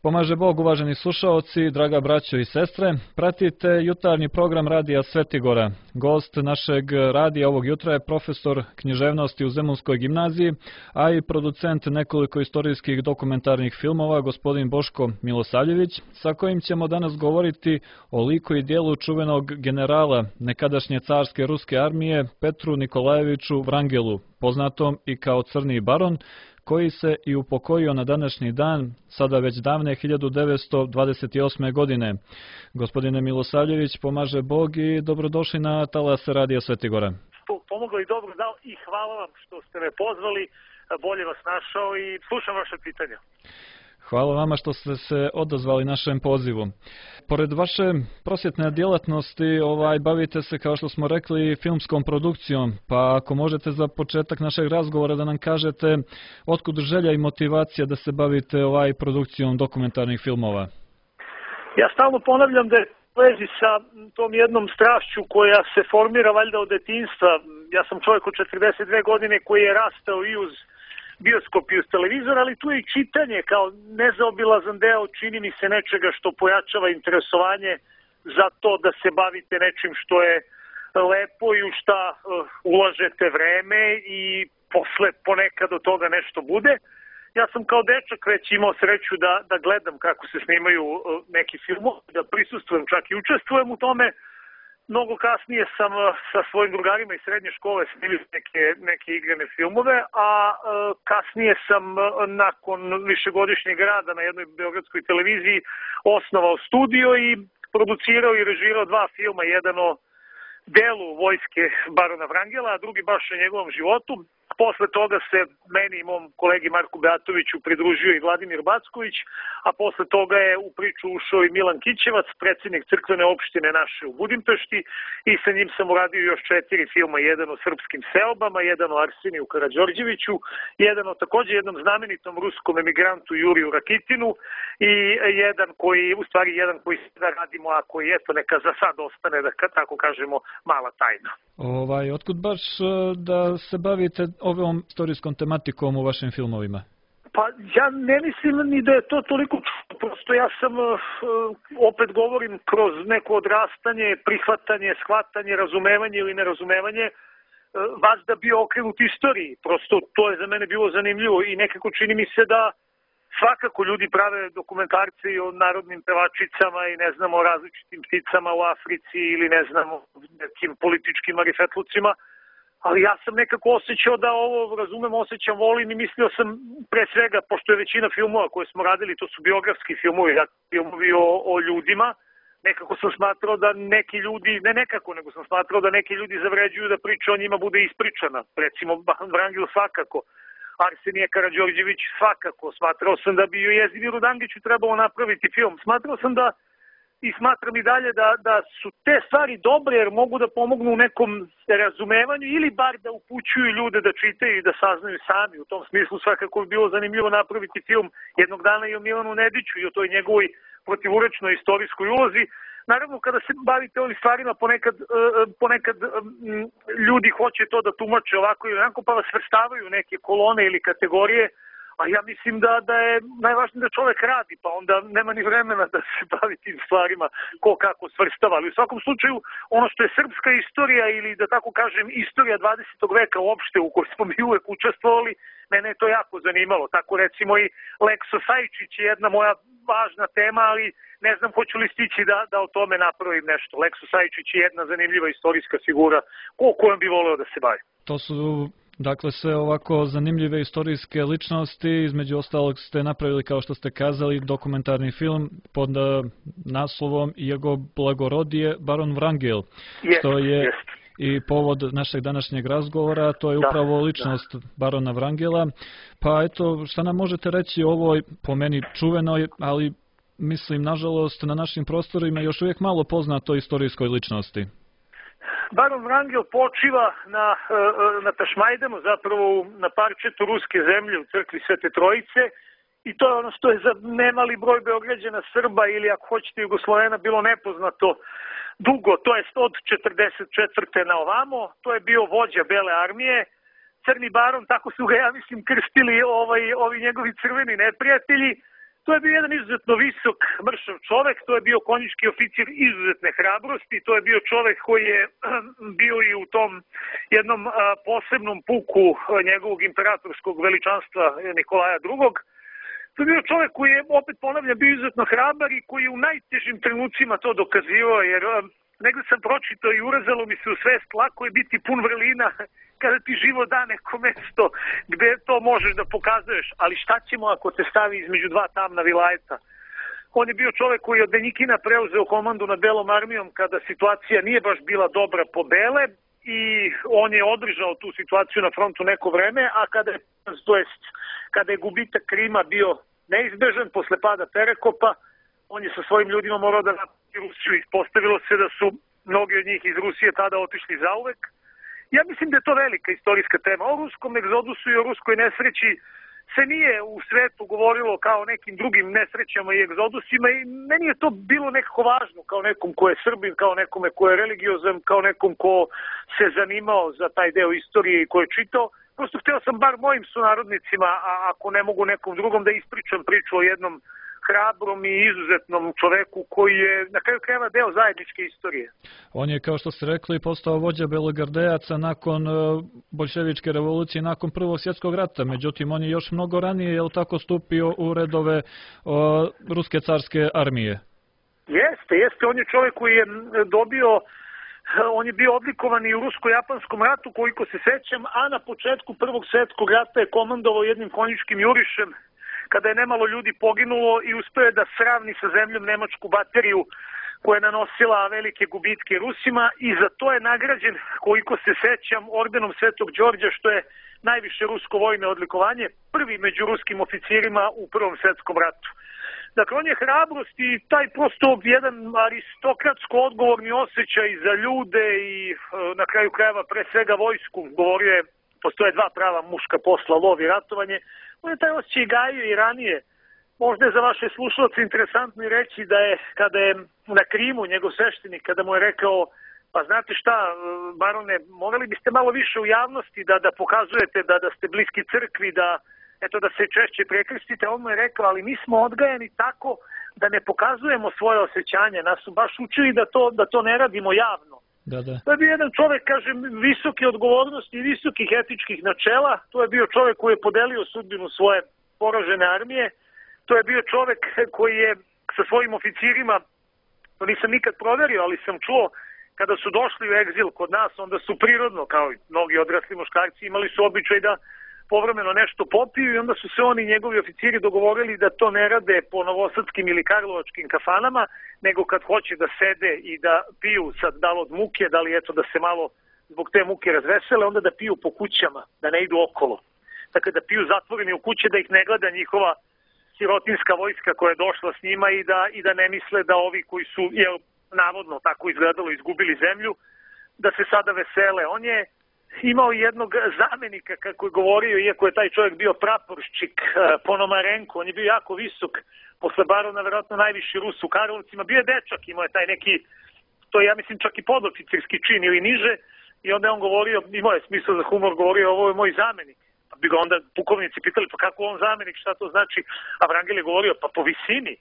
Pomaže Bog, uvaženi slušaoci, draga braćo i sestre, pratite jutarnji program Radija Svetigora. Gost našeg radija ovog jutra je profesor književnosti u Zemunskoj gimnaziji, a i producent nekoliko istorijskih dokumentarnih filmova, gospodin Boško Milosavljević, sa kojim ćemo danas govoriti o liku i dijelu čuvenog generala nekadašnje carske ruske armije Petru Nikolajeviću Vrangelu, poznatom i kao Crni baron, koji se i upokojio na današnji dan, sada već davne 1928. godine. Gospodine Milosavljević, pomaže Bog i dobrodošli na talase Radija Svetigora. Pomoglo i dobro dao i hvala vam što ste me pozvali, bolje vas našao i slušam vaše pitanja. Hvala vama što ste se odazvali našem pozivu. Pored vaše prosvjetne djelatnosti, bavite se, kao što smo rekli, filmskom produkcijom, pa ako možete za početak našeg razgovora da nam kažete otkud želja i motivacija da se bavite produkcijom dokumentarnih filmova. Ja stalno ponavljam da je u vezi sa tom jednom strašću koja se formira valjda od detinjstva. Ja sam čovjek od 42 godine koji je rastao i uz bioskop i uz televizor, ali tu je i čitanje kao nezaobilazan deo, čini mi se, nečega što pojačava interesovanje za to da se bavite nečim što je lepo i u šta ulažete vreme i posle ponekad od toga nešto bude. Ja sam kao dečak već imao sreću da gledam kako se snimaju neki filmovi, da prisustvujem, čak i učestvujem u tome. Mnogo kasnije sam sa svojim drugarima iz srednje škole snimio neke igrane filmove, a kasnije sam nakon višegodišnjeg rada na jednoj beogradskoj televiziji osnovao studio i producirao i režirao dva filma, jedan o delu vojske barona Vrangela, a drugi baš o njegovom životu. Posle toga se meni i mom kolegi Marku Beatoviću pridružio i Vladimir Backović, a posle toga je u priču ušao i Milan Kićevac, predsjednik crkvene opštine naše u Budimpešti, i sa njim sam uradio još 4 filma, jedan o srpskim seobama, jedan o Arseniju Karađorđeviću, jedan o također jednom znamenitom ruskom emigrantu Juriju Rakitinu i jedan koji sada radimo, a koji eto neka za sad ostane, da tako kažemo, mala tajna. Otkud baš da se bavite ovom istorijskom tematikom u vašim filmovima? Pa ja ne mislim ni da je to toliko, prosto ja sam, opet govorim, kroz neko odrastanje, prihvatanje, shvatanje, razumevanje ili nerazumevanje, vazda bio okrenut istoriji. Prosto to je za mene bilo zanimljivo i nekako čini mi se da svakako ljudi prave dokumentarce i o narodnim pevačicama i ne znam o različitim pticama u Africi ili ne znam o nekim političkim marifetlucima, ali ja sam nekako osjećao da ovo razumem, osjećam, volim i mislio sam pre svega, pošto je većina filmova koje smo radili, to su biografski filmovi, filmovi o ljudima, nekako sam smatrao da neki ljudi, ne nekako, nego sam smatrao da neki ljudi zavređuju da priča o njima bude ispričana. Recimo Vrangel svakako, Arsenije Karađorđević svakako, smatrao sam da bi o Jezdimiru Dangiću trebalo napraviti film. Smatrao sam da i smatram i dalje da su te stvari dobre jer mogu da pomognu u nekom razumevanju ili bar da upućuju ljude da čitaju i da saznaju sami. U tom smislu svakako bi bilo zanimljivo napraviti film jednog dana i o Milanu Nediću i o toj njegovoj protivurečnoj istorijskoj ulozi. Naravno, kada se bavite ovim stvarima, ponekad ljudi hoće to da tumače ovako i onako, pa vas svrstavaju neke kolone ili kategorije, a ja mislim da je najvažnije da čovjek radi, pa onda nema ni vremena da se bavi tim stvarima ko kako svrstava. Ali u svakom slučaju, ono što je srpska istorija ili da tako kažem istorija 20. veka uopšte u kojoj smo mi uvek učestvovali, mene je to jako zanimalo. Tako recimo i Lekso Sajčić je jedna moja važna tema, ali ne znam hoću li stići da o tome napravim nešto. Lekso Sajčić je jedna zanimljiva istorijska figura kojom bi voleo da se bavi. To su dakle sve ovako zanimljive istorijske ličnosti, između ostalog ste napravili, kao što ste kazali, dokumentarni film pod naslovom Jego blagorodije baron Vrangel, što je i povod našeg današnjeg razgovora, to je upravo ličnost barona Vrangela. Pa eto, šta nam možete reći o ovoj, po meni čuvenoj, ali mislim, nažalost, na našim prostorima još uvijek malo poznatoj istorijskoj ličnosti? Baron Vrangel počiva na Tašmajdanu, zapravo na parčetu ruske zemlje u crkvi Svete Trojice, i to je ono što je za nemali broj Beograđana, Srba ili ako hoćete Jugoslovena bilo nepoznato dugo, to je od 44. na ovamo. To je bio vođa Bele armije, Crni baron, tako su ga, ja mislim, krstili ovi njegovi crveni neprijatelji. To je bio jedan izuzetno visok, mršav čovek, to je bio konjički oficir izuzetne hrabrosti, to je bio čovek koji je bio i u tom jednom posebnom puku njegovog imperatorskog veličanstva Nikolaja II. To je bio čovek koji je, opet ponavljam, bio izuzetno hrabar i koji je u najtežim trenucima to dokazivao, jer negde sam pročitao i urezalo mi se u svest, lako je biti pun vrlina kada ti život da neko mesto gde to možeš da pokazuješ, ali šta ćemo ako te stavi između dva tamna vilajeta? On je bio čovek koji je od Denjikina preuzeo komandu nad Belom armijom kada situacija nije baš bila dobra po Bele i on je održao tu situaciju na frontu neko vreme, a kada je gubitak Krima bio neizbežan posle pada Perekopa, on je sa svojim ljudima morao da napusti Rusiju. Ispostavilo se da su mnogi od njih iz Rusije tada otišli zauvek. Ja mislim da je to velika istorijska tema. O ruskom egzodusu i o ruskoj nesreći se nije u svetu govorilo kao nekim drugim nesrećama i egzodusima i meni je to bilo nekako važno kao nekom ko je Srbin, kao nekome ko je religiozan, kao nekom ko se zanimao za taj deo istorije i ko je čitao. Prosto hteo sam bar mojim sunarodnicima, a ako ne mogu nekom drugom, da ispričam priču o jednom hrabrom i izuzetnom čoveku koji je na kraju krajeva deo zajedničke istorije. On je, kao što ste rekli, postao vođa belogardejaca nakon boljševičke revolucije, nakon Prvog svjetskog rata. Međutim, on je još mnogo ranije, je li tako, stupio u redove ruske carske armije? Jeste. On je čovek koji je dobio, on je bio odlikovan i u rusko-japanskom ratu, koliko se sećam, a na početku Prvog svjetskog rata je komandovao jednim konjičkim jurišem, kada je nemalo ljudi poginulo i uspeo je da sravni sa zemljom nemačku bateriju koja je nanosila velike gubitke Rusima i za to je nagrađen, koliko se sećam, ordenom Svetog Đorđa, što je najviše rusko vojne odlikovanje, prvi među ruskim oficirima u Prvom svjetskom ratu. Dakle, on je hrabrost i taj prosto jedan aristokratsko odgovorni osjećaj za ljude i na kraju krajeva pre svega vojsku. Govorio je, postoje dva prava muška posla, lov i ratovanje. On je taj osjećaj gajio i ranije. Možda je za vaše slušalce interesantno i reći da je, kada je na Krimu njegov sveštenik, kada mu je rekao, pa znate šta, barone, morali biste malo više u javnosti da pokazujete da ste bliski crkvi, da se češće prekrstite, on mu je rekao, ali mi smo odgajani tako da ne pokazujemo svoje osjećanje, nas su baš učili da to ne radimo javno. Da. To je bio jedan čovek, kažem, visoke odgovornosti i visokih etičkih načela. To je bio čovek koji je podelio sudbinu svoje poražene armije. To je bio čovek koji je sa svojim oficirima, to nisam nikad proverio, ali sam čuo, kada su došli u egzil kod nas, onda su prirodno, kao i mnogi odrasli muškarci, imali su običaj da povremeno nešto popiju i onda su se oni i njegovi oficiri dogovorili da to ne rade po novosadskim ili karlovačkim kafanama, nego kad hoće da sede i da piju, sad da li od muke, da li da se malo zbog te muke razvesele, onda da piju po kućama, da ne idu okolo. Dakle, da piju zatvoreni u kuće, da ih ne gleda njihova sirotinska vojska koja je došla s njima i da ne misle da ovi koji su, navodno tako izgledalo, izgubili zemlju, da se sada vesele. On je imao jednog zamenika, kako je govorio, iako je taj čovjek bio praporščik Ponomarenko, on je bio jako visok, posle barona verovatno najviši Rus u Karlovcima, bio je dečak, imao je taj neki, to je ja mislim čak i podoficirski čin ili niže, i onda je on govorio, imao je smisla za humor, govorio, ovo je moj zamenik. Pa bi ga onda pukovnici pitali, pa kako on zamenik, šta to znači? A Vrangel je govorio, pa po visini,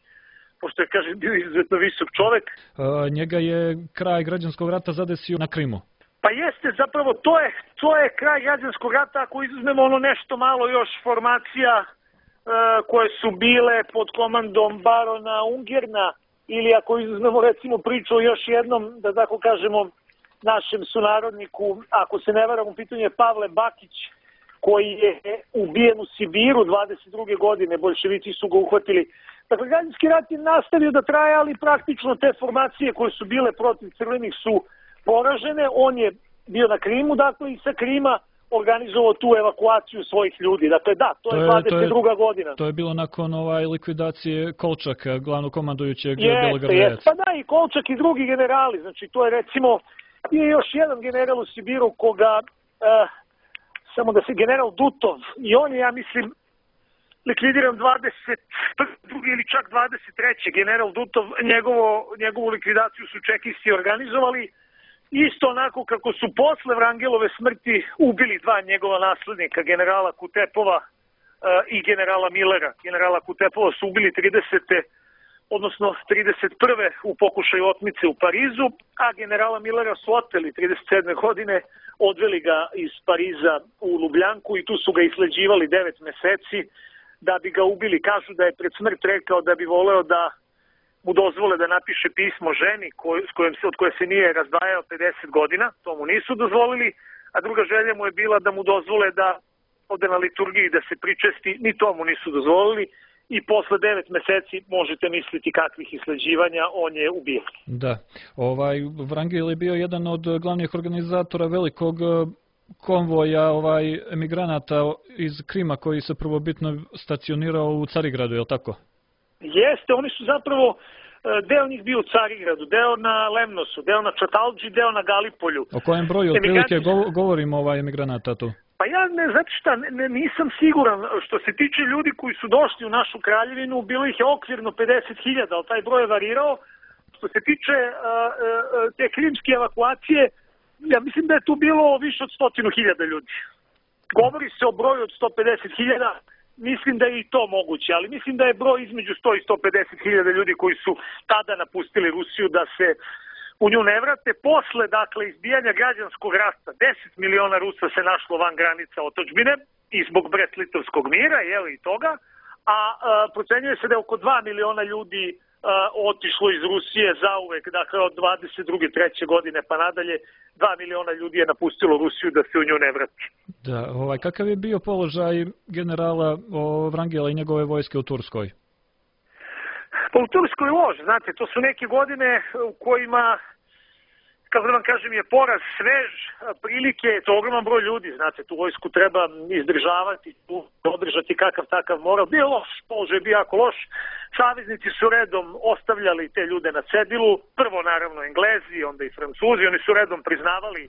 pošto je, kaže, bio izuzetno visok čovek. Njega je kraj građanskog rata zadesio na Krimu. Pa jeste, zapravo to je kraj građanskog rata, ako izuzmemo ono nešto malo još formacija koje su bile pod komandom barona Ungerna, ili ako izuzmemo recimo priču o još jednom, da tako kažemo, našem sunarodniku, ako se ne varam, u pitanju je Pavle Bakić, koji je ubijen u Sibiru 22. godine, boljševici su ga uhvatili. Dakle, građanski rat je nastavio da traje, ali praktično te formacije koje su bile protiv crvenih su poražene. On je bio na Krimu, dakle, i sa Krima organizovao tu evakuaciju svojih ljudi. Dakle, da, to je 22. godina. To je bilo nakon likvidacije Kolčaka, glavnog komandujućeg belogardejaca. Pa da, i Kolčak i drugi generali. Znači, to je recimo, je još jedan general u Sibiru koga, samo da se, general Dutov, i on je, ja mislim, likvidiran 22. ili čak 23. general Dutov, njegovu likvidaciju su čekisti organizovali, isto onako kako su posle Vrangelove smrti ubili dva njegova naslednika, generala Kutepova i generala Millera. Generala Kutepova su ubili 30. odnosno 31. u pokušaju otmice u Parizu, a generala Millera su oteli 37. godine, odveli ga iz Pariza u Ljubljanku i tu su ga isleđivali 9 meseci da bi ga ubili. Kažu da je pred smrt rekao da bi voleo da mu dozvole da napiše pismo ženi od koje se nije razdvajao 50 godina, to mu nisu dozvolili, a druga želja mu je bila da mu dozvole da ode na liturgiji da se pričesti, ni to mu nisu dozvolili i posle 9 meseci možete misliti kakvih isleđivanja on je ubijen. Da, Vrangel je bio jedan od glavnih organizatora velikog konvoja emigranata iz Krima koji se prvobitno stacionirao u Carigradu, je li tako? Jeste, oni su zapravo, deo njih bio u Carigradu, deo na Lemnosu, deo na Čatalđi, deo na Galipolju. O kojem broju otprilike govorimo emigranata tu? Pa ja nisam siguran. Što se tiče ljudi koji su došli u našu kraljevinu, bilo ih je okvirno 50.000, ali taj broj je varirao. Što se tiče te krimske evakuacije, ja mislim da je tu bilo više od 100.000 ljudi. Govori se o broju od 150.000, mislim da je i to moguće, ali mislim da je broj između 100 i 150.000 ljudi koji su tada napustili Rusiju da se u nju ne vrate. Posle, izbijanja građanskog rata, 10 miliona Rusa se našlo van granica otadžbine i zbog Brest-Litovskog mira, i toga, a procenjuje se da je oko 2 miliona ljudi otišlo iz Rusije zauvek, od 22. 3. godine pa nadalje, 2 miliona ljudi je napustilo Rusiju da se u nju ne vrati. Da, kakav je bio položaj generala Vrangela i njegove vojske u Turskoj? Pa u Turskoj lož, znate, to su neke godine u kojima, kako da vam kažem, je poraz svež, prilike, to je ogroman broj ljudi, znate, tu vojsku treba izdržavati, održati kakav takav moral. Bio loš, položaj bio jako loš, saveznici su redom ostavljali te ljude na cedilu, prvo naravno Englezi, onda i Francuzi, oni su redom priznavali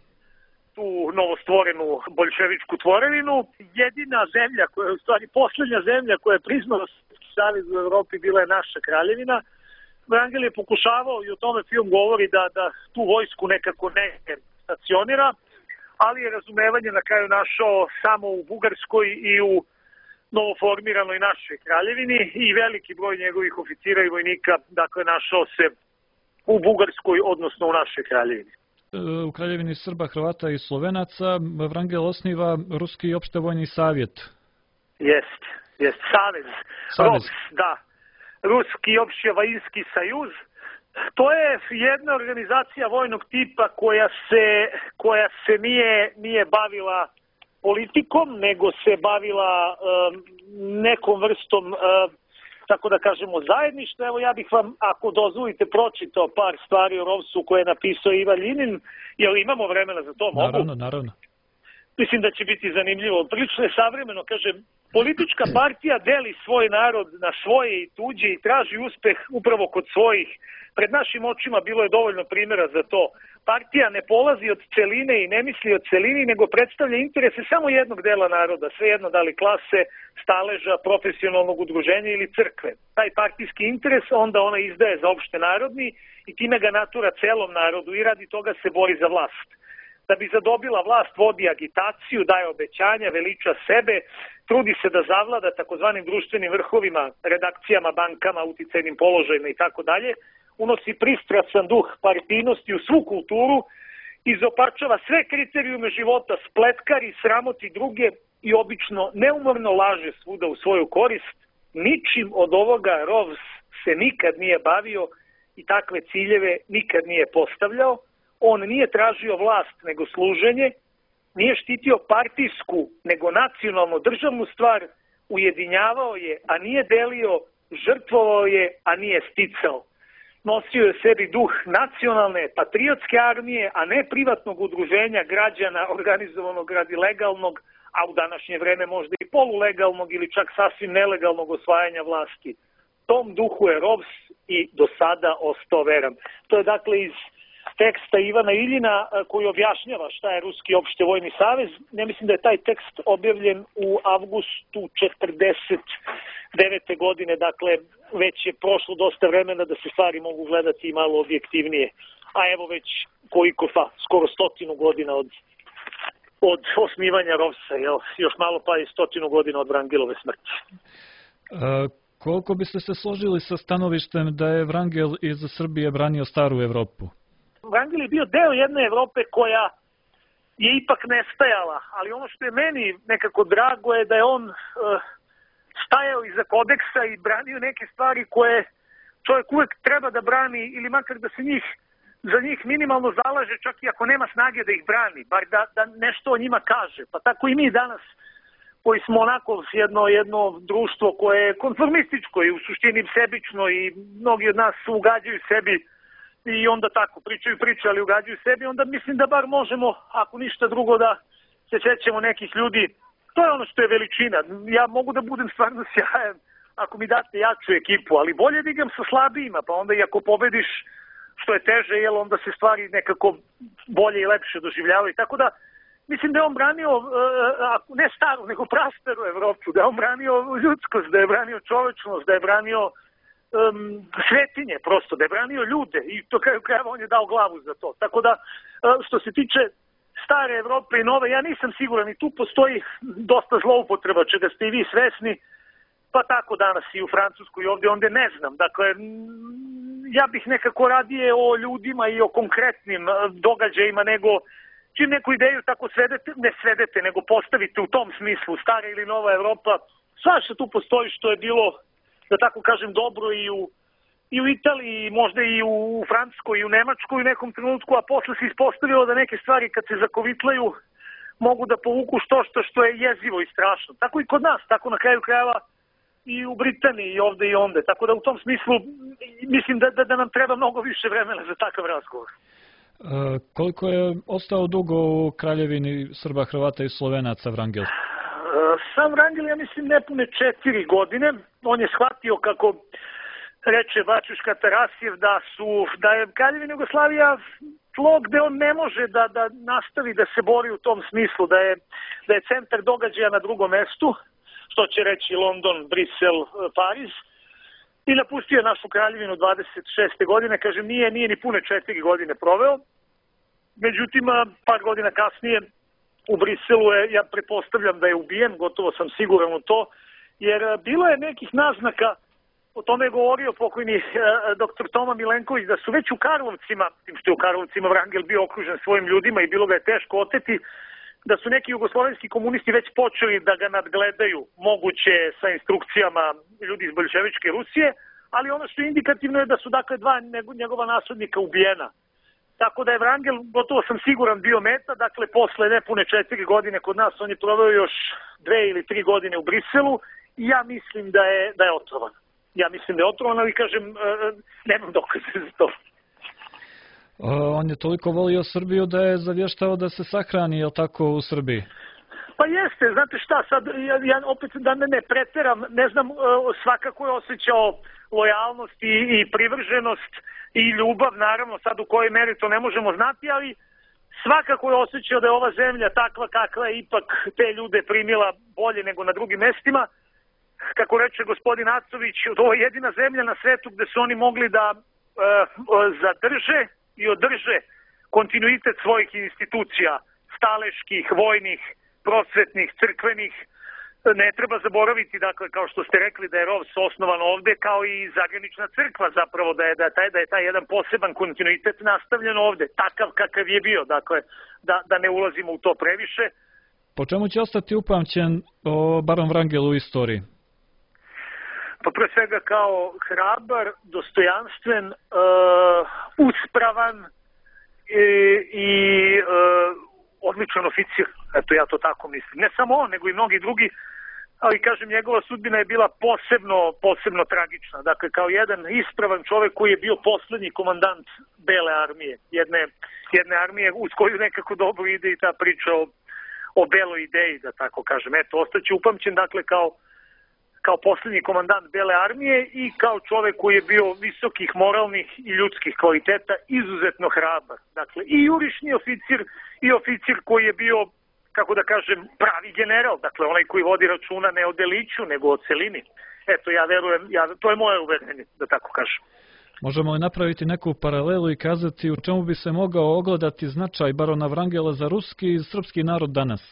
tu novostvorenu boljševičku tvorevinu. Jedina zemlja, koja je u stvari poslednja zemlja koja je priznala savez u Evropi bila je naša kraljevina. Vrangel je pokušavao, i o tome film govori, da tu vojsku nekako ne stacionira, ali je razumevanje na kraju našao samo u Bugarskoj i u novoformiranoj našoj kraljevini i veliki broj njegovih oficira i vojnika, našao se u Bugarskoj, odnosno u našoj kraljevini. U kraljevini Srba, Hrvata i Slovenaca Vrangel osniva Ruski opštevojni savjet. Jest, savez. ROVS, da. Ruski opštevojni sajuz. To je jedna organizacija vojnog tipa koja se nije bavila politikom, nego se bavila nekom vrstom, tako da kažemo, zajedništva. Evo, ja bih vam, ako dozvolite, pročitao par stvari o ROVS-u koje je napisao Ivan Ljinin. Jel imamo vremena za to? Mogu? Naravno. Mislim da će biti zanimljivo. Prilično je savremeno, kažem, politička partija deli svoj narod na svoje i tuđe i traži uspeh upravo kod svojih. Pred našim očima bilo je dovoljno primjera za to. Partija ne polazi od celine i ne misli o celini, nego predstavlja interese samo jednog dela naroda, svejedno da li klase, staleža, profesionalnog udruženja ili crkve. Taj partijski interes onda ona izdaje za opšte narodni i time ga natura celom narodu i radi toga se bori za vlast. Da bi zadobila vlast vodi agitaciju, daje obećanja, veliča sebe, trudi se da zavlada takozvanim društvenim vrhovima, redakcijama, bankama, uticajnim položajima i tako dalje, unosi pristrasan duh partijnosti u svu kulturu, izopačava sve kriterijume života, spletkari, sramoti druge i obično neumorno laže svuda u svoju korist. Ničim od ovoga ROVS se nikad nije bavio i takve ciljeve nikad nije postavljao. On nije tražio vlast nego služenje, nije štitio partijsku nego nacionalno državnu stvar, ujedinjavao je, a nije delio, žrtvovao je, a nije sticao. Nosio je sebi duh nacionalne patriotske armije, a ne privatnog udruženja građana organizovanog radi legalnog, a u današnje vreme možda i polulegalnog ili čak sasvim nelegalnog osvajanja vlasti. Tom duhu je ROVS i do sada ostao veran. To je dakle iz teksta Ivana Iljina koji objašnjava šta je Ruski opštevojni savez. Ne mislim da je taj tekst objavljen u avgustu 1949. godine, dakle već je prošlo dosta vremena da se stvari mogu gledati i malo objektivnije. A evo već skoro 100 godina od od osnivanja Rovsa, još malo pa i 100 godina od Vrangelove smrti. Koliko biste se složili sa stanovištem da je Vrangel iz Srbije branio staru Evropu? Vrangel je bio deo jedne Evrope koja je ipak nestajala, ali ono što je meni nekako drago je da je on stajao iza kodeksa i branio neke stvari koje čovjek uvek treba da brani ili makar da se za njih minimalno zalaže, čak i ako nema snage da ih brani, bar da nešto o njima kaže. Pa tako i mi danas, koji smo onako jedno društvo koje je konformističko i u suštini sebično i mnogi od nas ugađaju sebi i onda tako pričaju priče, ali ugađaju sebi, onda mislim da bar možemo, ako ništa drugo, da se sećamo nekih ljudi. To je ono što je veličina. Ja mogu da budem stvarno sjajan ako mi date jaču ekipu, ali bolje da igram sa slabijima, pa onda i ako pobediš, što je teže, jer onda se stvari nekako bolje i lepše doživljavaju. Tako da, mislim da je on branio, ne staru, nego prastaru Evropu, da je on branio ljudskost, da je branio čovečnost, da je branio svetinje prosto, da je branio ljude i to kraju krajeva on je dao glavu za to. Tako da, što se tiče stare Evrope i nove, ja nisam siguran i tu postoji dosta zloupotreba, čega ste i vi svesni, pa tako danas i u Francuskoj i ovdje, onda ne znam. Dakle, ja bih nekako radije o ljudima i o konkretnim događajima nego čim neku ideju tako svedete, nego postavite u tom smislu, stara ili nova Evropa, svašta tu postoji što je bilo, da tako kažem, dobro i u Italiji, možda i u Francuskoj i u Nemačkoj u nekom trenutku, a posle se ispostavilo da neke stvari kad se zakovitlaju mogu da povuku što je jezivo i strašno. Tako i kod nas, tako na kraju krajeva i u Britaniji i ovde i onde. Tako da u tom smislu mislim da nam treba mnogo više vremena za takav razgovor. Koliko je ostao dugo u kraljevini Srba, Hrvata i Slovenaca Vrangel? Sam Vrangel, ja mislim, nepune 4 godine. On je shvatio, kako reče Bačuška Tarasijev, da je Kraljevina Jugoslavija tlo gde on ne može da nastavi da se bori u tom smislu, da je centar događaja na drugom mestu, što će reći London, Brisel, Pariz, i napustio našu kraljevinu 26. godine, kažem, nije ni pune 4 godine proveo, međutim, par godina kasnije u Briselu ja pretpostavljam da je ubijen, gotovo sam siguran u to, jer bilo je nekih naznaka, o tome je govorio pokojni dr. Toma Milenković, da su već u Karlovcima, tim što je u Karlovcima Vrangel bio okružen svojim ljudima i bilo ga je teško oteti, da su neki jugoslovenski komunisti već počeli da ga nadgledaju, moguće sa instrukcijama ljudi iz boljševičke Rusije, ali ono što je indikativno je da su dakle 2 njegova naslednika ubijena. Tako da je Vrangel, gotovo sam siguran, bio meta, dakle posle nepune 4 godine kod nas, on je proveo još 2 ili 3 godine u Briselu i ja mislim da je otrovan. Ja mislim da je otrovan, ali kažem, nemam dokaze za to. On je toliko volio Srbiju da je zavještao da se sahrani, jel tako, u Srbiji? Pa jeste, znate šta, sad ja opet da ne preteram, ne znam, svakako je osjećao lojalnost i privrženost i ljubav, naravno, sad u kojoj meri to ne možemo znati, ali svakako je osjećao da je ova zemlja takva kakva je ipak te ljude primila bolje nego na drugim mestima. Kako reče gospodin Acović, ovo je jedina zemlja na svetu gde su oni mogli da zadrže i održe kontinuitet svojih institucija, staleških, vojnih, prosvetnih, crkvenih. Ne treba zaboraviti, dakle, kao što ste rekli, da je ROVS osnovan ovde, kao i Zagranična crkva, zapravo, da je taj jedan poseban kontinuitet nastavljen ovde, takav kakav je bio, dakle, da ne ulazimo u to previše. Po čemu će ostati upamćen baron Vrangel u istoriji? Pa pre svega kao hrabar, dostojanstven, uspravan i odličan oficir. Eto, ja to tako mislim. Ne samo on, nego i mnogi drugi, ali kažem, njegova sudbina je bila posebno tragična. Dakle, kao jedan ispravan čovek koji je bio poslednji komandant Bele armije, jedne armije uz koju nekako dobro ide i ta priča o beloj ideji, da tako kažem. Eto, ostaće upamćen, dakle, kao poslednji komandant Bele armije i kao čovek koji je bio visokih moralnih i ljudskih kvaliteta, izuzetno hrabar. Dakle, i jurišni oficir i oficir koji je bio, kako da kažem, pravi general. Dakle, onaj koji vodi računa ne o deliću, nego o celini. Eto, ja verujem, to je moje uverenje, da tako kažem. Možemo li napraviti neku paralelu i kazati u čemu bi se mogao ogledati značaj barona Vrangela za ruski i srpski narod danas?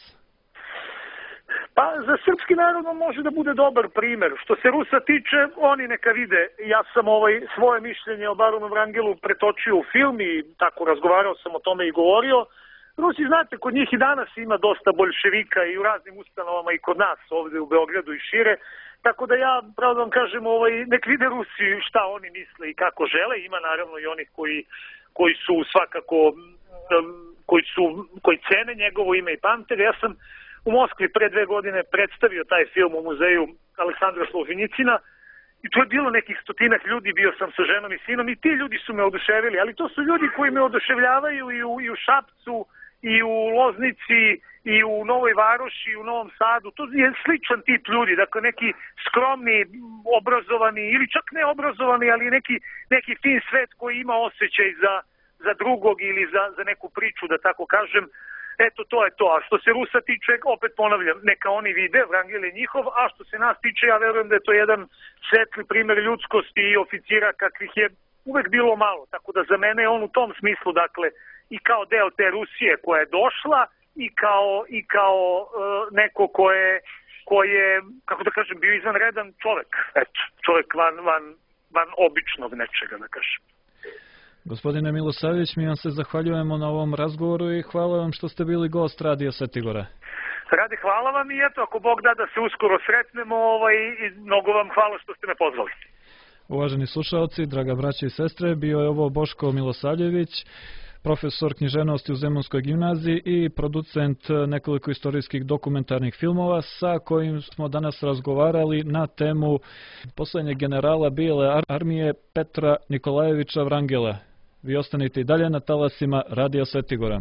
Pa za srpski narod može da bude dobar primer. Što se Rusa tiče, oni neka vide. Ja sam svoje mišljenje o baronu Vrangelu pretočio u film i tako razgovarao sam o tome i govorio. Rusi, znate, kod njih i danas ima dosta boljševika i u raznim ustanovama i kod nas ovde u Beogradu i šire. Tako da ja, pravo da vam kažem, nek vide Rusi šta oni misle i kako žele. Ima naravno i onih koji su svakako, koji cene njegovo ime i pamte. Ja sam u Moskvi pre 2 godine predstavio taj film u muzeju Aleksandra Solženjicina i tu je bilo nekih 100 ljudi, bio sam sa ženom i sinom i ti ljudi su me oduševili, ali to su ljudi koji me oduševljavaju i u Šapcu, i u Loznici, i u Novoj Varoši, i u Novom Sadu. To je sličan tip ljudi, dakle neki skromni, obrazovani ili čak ne obrazovani, ali neki fin svet koji ima osjećaj za drugog ili za neku priču, da tako kažem. Eto, to je to. A što se Rusa tiče, opet ponavljam, neka oni vide, Vrangel je njihov, a što se nas tiče, ja verujem da je to jedan svetli primer ljudskosti i oficira kakvih je uvek bilo malo. Tako da za mene je on u tom smislu, dakle, i kao deo te Rusije koja je došla i kao neko ko je, kako da kažem, bio izvanredan čovek. Eto, čovek van običnog nečega, da kažem. Gospodine Milosavljević, mi vam se zahvaljujemo na ovom razgovoru i hvala vam što ste bili gost Radija Svetigora. Rade, hvala vam i eto, ako Bog da se uskoro sretnemo, mnogo vam hvala što ste me pozvali. Uvaženi slušalci, draga braća i sestre, bio je ovo Boško Milosavljević, profesor književnosti u Zemunskoj gimnaziji i producent nekoliko istorijskih dokumentarnih filmova sa kojim smo danas razgovarali na temu poslednjeg generala Bijele armije Petra Nikolajevića Vrangela. Vi ostanite i dalje na talasima Radija Svetigora.